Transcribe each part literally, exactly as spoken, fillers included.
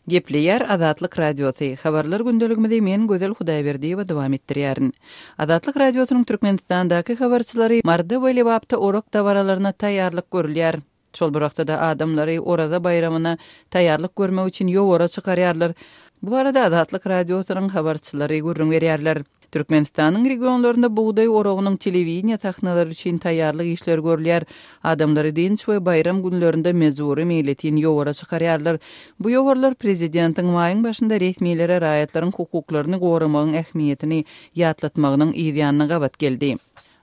Gepleýär Azatlyk Radiosy. Habarlar gündeligimizi men Gözel Hudaýberdiýewa dowam etdirýärin. Azatlyk Radiosynyň Türkmenistandaky habarçylary Maryda we Lebapda orak dabaralaryna taýýarlyk görülýär. Şol bir wagtda-da adamlary Oraza baýramyna taýýarlyk görmek üçin ýowara çykarýarlar. Bu barada Azatlyk Radiosynyň habarçylary gürrüň berýärler. Türkmenistanyň regionlarynda bugdaý oragynyň telewideniýe sahnalary üçin taýýarlyk işleri görülýär. Adamlary dynç we baýram günlerinde mejbury meýletin ýowara çykarýarlar. Bu ýowarlar prezidentiň maýyň başynda resmilere raýatlaryň hukuklaryny goramagyň ähmiýetini ýatlatmagynyň yzýanyna gabat geldi.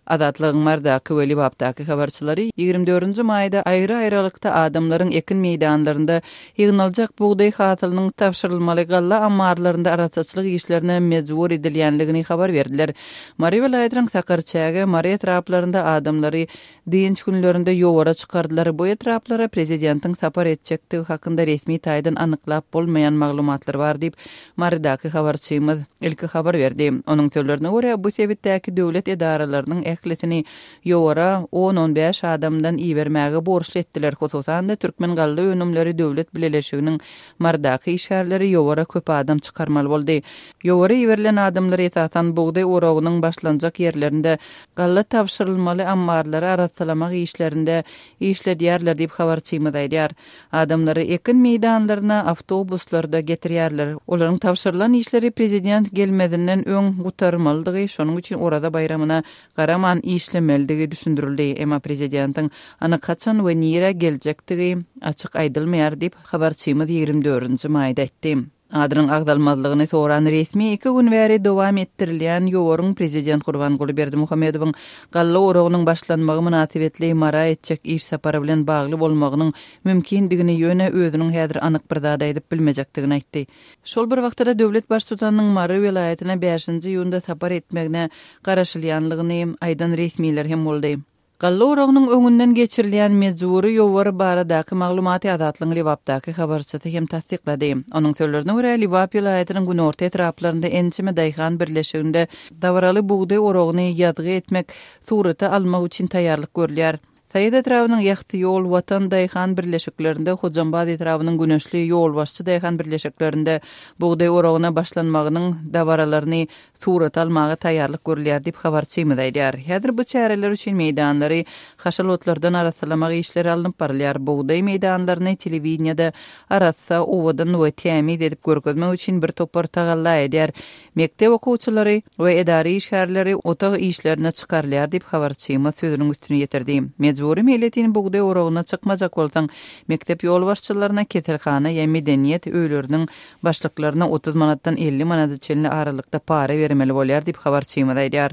Azatlygyň Marydaky we Lebapdaky habarçylary ýigrimi dördünji maýda aýry-aýralykda adamlaryň ekin meýdanlarynda ýygnaljak bugdaý hasylynyň tabşyrylmaly galla ammarlarynda arassaçylyk işlerine mejbur edilýänligini habar berdiler. Mary welaýatynyň Sakarçäge, Mary etraplarynda adamlary dynç günlerinde ýowara çykardylar. Bu etraplara prezidentiň sapar etjekdigi hakynda resmi taýdan anyklap bolmaýan maglumatlar bar diýip, Marydaky habarçymyz ilki habar berdi. Onuň sözlerine görä, bu sebitdäki döwlet edaralarynyň ählisini ýowara on-on bäş adamdan ibermäge borçly etdiler. Hususan-da, Türkmen galla önümleri döwlet bileleşiginiň Marydaky işgärleri ýowara köp adam çykarmaly boldy. Ýowara iberilen adamlar esasan bugdaý oragynyň başlanjak ýerlerinde galla tabşyrylmaly ammarlary arassalamak işlerinde işledýärler diýip, habarçymyz aýdýar. Adamlary ekin meýdanlaryna awtobuslarda getirýärler. Olaryň tabşyrylan işleri prezident gelmezinden öň gutarmalydygy, şonuň üçin Oraza baýramyna garaman işlemelidigi düşündirildi. Emma prezidentiň anyk haçan we nirä geljekdigi açyk aýdylmaýar diýip, habarçymyz ýigrimi dördünji maýda aýtdy. Adynyň agzalmazlygyny soran resmi iki gün bäri dowam etdirilýän ýowaryň prezident Gurbanguly Berdimuhamedowyň galla oragynyň başlanmagy mynasybetli Mara etjek iş sapary bilen bagly bolmagynyň mümkindigini, ýöne özüniň häzir anyk bir zat aýdyp bilmejekdigini aýtdy. Şol bir wagtda döwlet baştutanynyň Mary welaýatyna bäşinji iýunda sapar etmegine garaşylýanlygyny aýdan resmiler hem boldy. Galla oragynyň öňünden geçirilýän mejbury ýowar baradaky maglumaty Azatlygyň Lebapdaky habarçysy hem tassyklady. Onuň sözlerine görä, Lebap welaýatynyň günorta etraplarynda ençeme daýhan birleşiginde dabaraly bugdaý oragyny ýazgy etmek, surata almak üçin taýýarlyk görülýär. Saýat etrabynyň Ýagty ýol, Watan daýhan birleşiklerinde, Hojambaz etrabynyň Güneşli, Ýolbaşçy daýhan birleşiklerinde bugdaý oragyna başlanmagynyň dabaralaryny surata almaga taýýarlyk görülýär diýip, habarçymyz aýdýar. Häzir bu çäreler üçin meýdanlary haşal otlardan arassalamak işleri alnyp barylýar. Bugdaý meýdanlaryny telewideniýede arassa, owadan we tämiz edip görkezmek üçin bir topar tagalla edýär. Mekdep okuwçylary we edara işgärleri otag işlerine çykarylýar diýip, habarçymyz sözüniň üstüni ýetirdi. Mejbury meýletin bugdaý oragyna çykmajak bolsaň, mekdep ýolbaşçylaryna, keselhana ýa medeniýet öýleriniň başlyklaryna otuz manatdan elli manada çenli aralykda para bermeli bolýar diýip, habarçymyz aýdýar.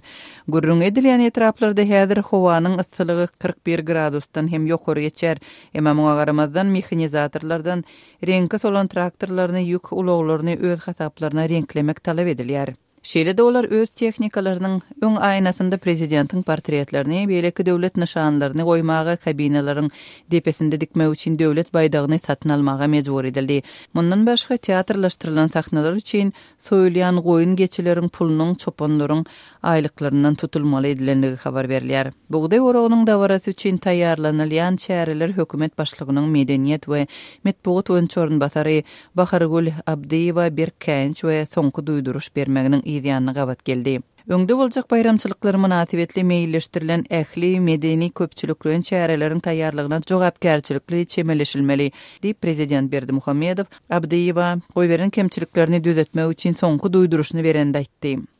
Gürrüň edilýän etraplarda häzir howanyň yssylygy kyrk bir gradusdan hem ýokary geçýär. Emma muňa garamazdan mehanizatorlardan reňki solan traktorlaryny, ýük ulaglaryny öz hasaplaryna reňklemek talap edilýär. Şeýle-de olar öz tehnikalarynyň öň aýnasynda prezidentiň portretlerini, beýleki döwlet nyşanlaryny goýmaga, kabinalaryň depesinde dikmek üçin döwlet baýdagyny satyn almaga mejbur edildi. Mundan başga teatrlaşdyrylan sahnalar üçin soýulýan goýun geçileriň pulunyň çopanlaryň aýlyklaryndan tutulmaly edilenligi habar berilýär. Bugdaý oragynyň dabarasy üçin taýýarlanylýan çäreler hökümet başlygynyň medeniýet we metbugat boýunça orunbasary Bahargül Abdyýewa berk käýinç we soňky duýduryş bermeginiň yzýanyna gabat geldi. Öňde boljak baýramçylyklar mynasybetli meýilleşdirilen ähli medeni köpçülikleýin çäreleriň taýýarlygyna jogapkärçilikli çemeleşilmeli, diýip prezident Berdimuhamedow Abdyýewa goýberen kemçiliklerini düzetmek üçin soňky duýduryşyny berende aýtdy.